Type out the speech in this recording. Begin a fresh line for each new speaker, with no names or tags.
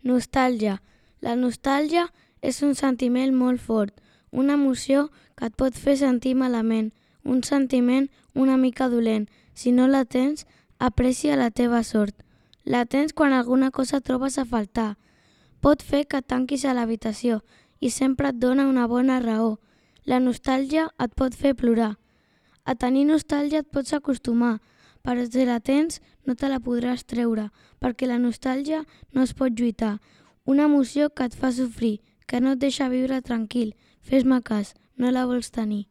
Nostàlgia. La nostàlgia és un sentiment molt fort, una emoció que et pot fer sentir malament, un sentiment una mica dolent. Si no la tens, aprecia la teva sort. La tens quan alguna cosa trobes a faltar. Pot fer que et tanquis a l'habitació i sempre et dona una bona raó. La nostàlgia et pot fer plorar. A tenir nostàlgia et pots acostumar, però si la tens no te la podràs treure, perquè la nostàlgia no es pot lluitar. Una emoció que et fa sofrir, que no et deixa viure tranquil. Fes-me cas, no la vols tenir.